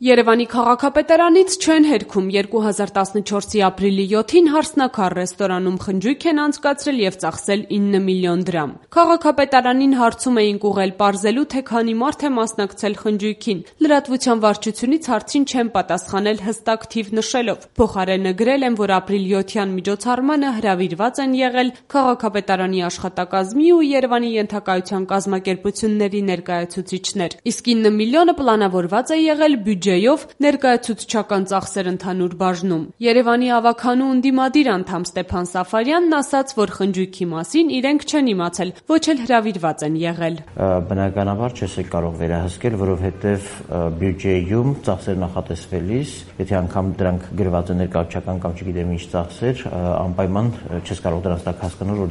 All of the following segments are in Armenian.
Երևանի քաղաքապետարանից չեն հերքում 2014-ի ապրիլի 7-ին «Հարսնաքար» ռեստորանում խնջույք են անցկացրել և ծախսել 9 միլիոն դրամ։ Քաղաքապետարանին հարցում էինք ուղղել պարզելու, թե քանի մարդ է մասնակցել խնջույքին։ Լրատվության վարչությունից հարցին չեն պատասխանել հստակ թիվ նշելով։ Փոխարենը գրել են, որ ապրիլի 7-յան միջոցառմանը հրավիրված են եղել քաղաքապետարանի աշխատակազմի ու Երևանի ենթակայության կազմակերպությունների ներկայացուցիչներ, իսկ 9 միլիոնը պլանավորված է եղել բյուջեով ներկայացուցչական ծախսեր ընդհանուր բաժնում։ Երևանի ավագանու ընդդիմադիր անդամ Ստեփան Սաֆարյանն ասաց, որ խնջույքի մասին իրենք չեն իմացել, ոչ էլ հրավիրված են եղել։ Բնականաբար չես կարող վերահսկել, որովհետև բյուջեում ծախսեր նախատեսվելիս, եթե անգամ դրանք գրված են ներկայացուցչական կամ չգիտեմ ինչ ծախսեր, անպայման չես կարող դրանց տակ հասկանալ, որ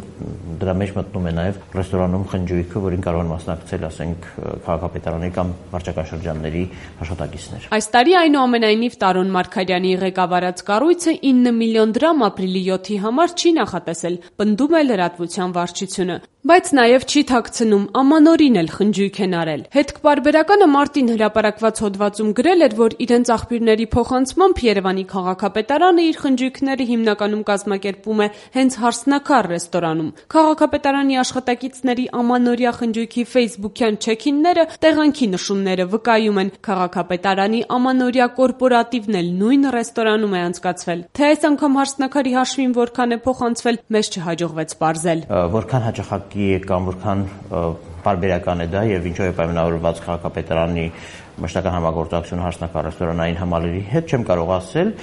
դրա մեջ մտնում է նաև ռեստորանում խնջույքը, որին կարող են մասնակցել, ասենք, քաղաքապետարանի կամ վարչական շրջանների աշխատակիցներ։ Այս տարի այնուամենայնիվ Տարոն Մարգարյանի ղեկավարած կառույցը 9 միլիոն դրամ ապրիլի 7-ի համար չի նախատեսել, պնդում է լրատվության վարչությունը, բայց նաև չի թաքցնում ամանորին էլ խնջույք են արել։ Հետքպարբերականը մարտին հրապարակված հոդվածում գրել էր, որ իրենց աղբյուրների փոխանցմամբ Երևանի քաղաքապետարանը իր խնջույքները հիմնականում կազմակերպում է հենց «Հարսնաքար» ռեստորանում։ Քաղաքապետարանի աշխատակիցների ամանորյա խնջույքի ֆեյսբուքյան չեքինները տեղանքի նշումները վկայում են, քաղաքապետարանի ամանորյա կորպորատիվն էլ նույն ռեստորանում է անցկացվել։ Թե այս անգամ «Հարսնաքարի» հաշվին որքան է փոխանցվել, մեզ չհաջողվեց պարզել։ Որքան հաճախակի է կամ որքան պարբերական է դա եւ ինչով է պայմանավորված քաղաքապետարանի մշտական համագործակցությունը «Հարսնաքար» ռեստորանային համալիրի հետ, չեմ կարող ասել,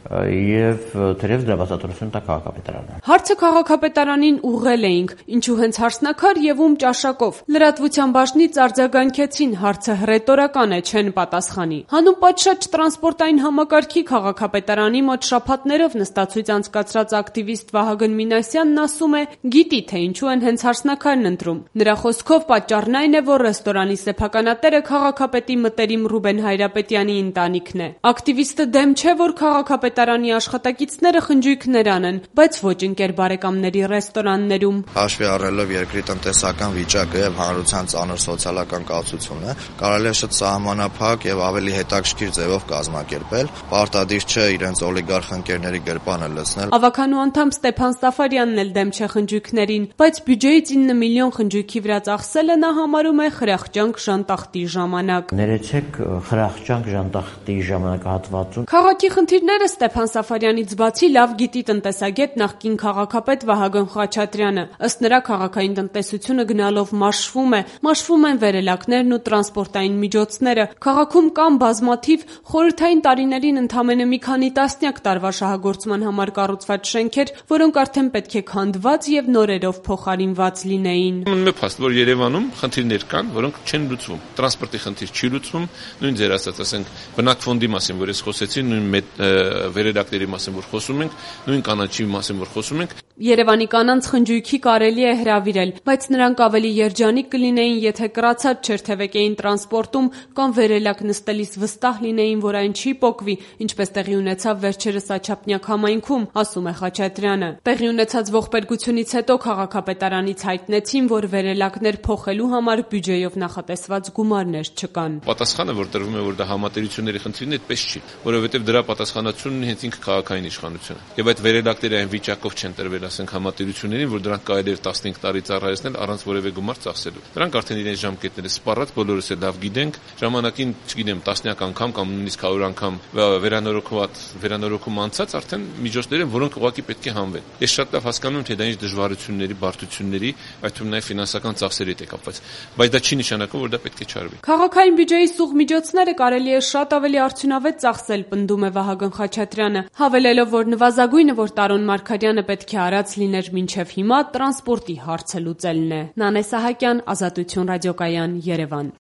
եւ թերևս դրա բացատրությունը տա քաղաքապետարանը։ Հարցը քաղաքապետարանին ուղղել էինք, ինչու հենց «Հարսնաքար» եւ ում ճաշակով։ Լրատվության բաժնից արձագանքեցին, հարցը հռետորական է, չեն պատասխանի։ Հանուն պատշաճ տրանսպորտային համակարգի քաղաքապետարանի մոտ շաբաթներով նստացույց անցկացրած ակտիվիստ Վահագն Մինասյանն ասում է, գիտի, թե ինչու են հենց «Հարսնաքարն» ընտրում։ Նրա խոսքով պատճառն այն է, որ ռեստորանի սեփականատերը քաղաքապետի մտերիմ Ռուբեն Հայրապետյանի ընտանիքն է։ Ակտիվիստը դեմ չէ, որ քաղաքապետարանի աշխատակիցները խնջույքներ անեն, բայց ոչ ընկեր բարեկամների ռեստորաններում։ Հաշվի առնելով երկրի տնտեսական վիճակը եւ հանրության ծանր սոցիալական կացությունը, կարելի է շատ սահմանափակ եւ ավելի հետաքրքիր ձևով կազմակերպել, պարտադիր չէ իրենց օլիգարխ ընկերների գրպանը լցնել։ Ավագանու անդամ Ստեփան Սաֆարյանն էլ դեմ չէ խնջույքներին, բայց բյուջեից 9 միլիոն խնջույքի վրա ծախսելը նա համարում է խրախճանք ժանտախտի ժամանակ։ Ներեցեք խրախճանք ժանտախտի ժամանակահատվածում։ Քաղաքի խնդիրները Ստեփան Սաֆարյանից բացի լավ գիտի տնտեսագետ նախկին քաղաքապետ Վահագն Խաչատրյանը։ Ըստ նրա քաղաքային տնտեսությունը գնալով մաշվում են վերելակներն ու տրանսպորտային միջոցները։ Քաղաքում կան բազմաթիվ խորհրդային տարիներին ընդամենը մի քանի տասնյակ տարվա շահագործման համար կառուցված շենքեր, որոնք արդեն պետք է քանդված եւ նորերով փոխարինված լինեին։ Մնում է փաստ, որ Երևանում խնդիրներ կան, որոնք չեն լուծվում։ Տրանսպորտի խնդիր չի լուծվում, նույն ձեր ասած, ասենք, բնակ ֆոնդի մասին, որ ես խոսեցի, նույն վերելակների մասին, որ խոսում ենք, նույն կանաչի մասին, որ խոսում ենք։ Երևանի կանանց խնջույքի կարելի է հրավիրել, բայց նրանք ավելի երջանիկ կլինեին, եթե կրացած չերթևեկեին տրանսպորտում կամ վերելակ նստելիս վստահ լինեին, որ այն չի պոկվի, ինչպես տեղի ունեցավ վերջերս Աչափնյակ համայնքում, ասում է Խաչատրյանը։ Տեղի ունեցած ողբերգությունից հետո քաղաքապետարանից հայտնեցին, որ վերելակներ փոխելու համար բյուջեով նախատեսված գումարներ չկան։ Պատասխանը, որ տրվում է, որ դա համատերությունների խնդիրն է, այդպես չի, որովհետև դրա պատասխանատվությունն հենց ինքը քաղաքային իշխանությունն է։ Եվ այդ վերելակները այն վիճակով չեն տրվել, ասենք, համատերություններին, որ դրանք կարելի է 15 տարի ծառայեցնել առանց որևէ գումար ծախսելու։ Դրանք արդեն իրենց ժամկետները սպառած, բոլորս էլ լավ գիտենք, ժամանակին, չգիտեմ, տասնյակ անգամ կամ նույնիսկ 100 անգամ վերանորոգում անցած արդեն միջոցներ են, որոնք ուղղակի պետք է հանվեն։ Ես շատ լավ հասկանում եմ, թե դա ինչ դժվարությունների, բարդությունների, այդ թվում նաև ֆինանսական ծախսերի հետ է կապված, բայց դա չի նշանակում, որ դա պետք է չարվի։ Քաղաքային բյուջեի սուղ միջոցները կարելի է շատ ավելի արդյունավետ ծախսել, պնդում է Վահագն Խաչատրյանը, հավելելով, որ նվազագույնը, որ Տարոն Մարգարյանը պետք է արած լիներ մինչև հիմա, տրանսպորտի հարցը լուծելն է։ Նանե Սահակյան, Ազատություն ռադիոկայան, Երևան։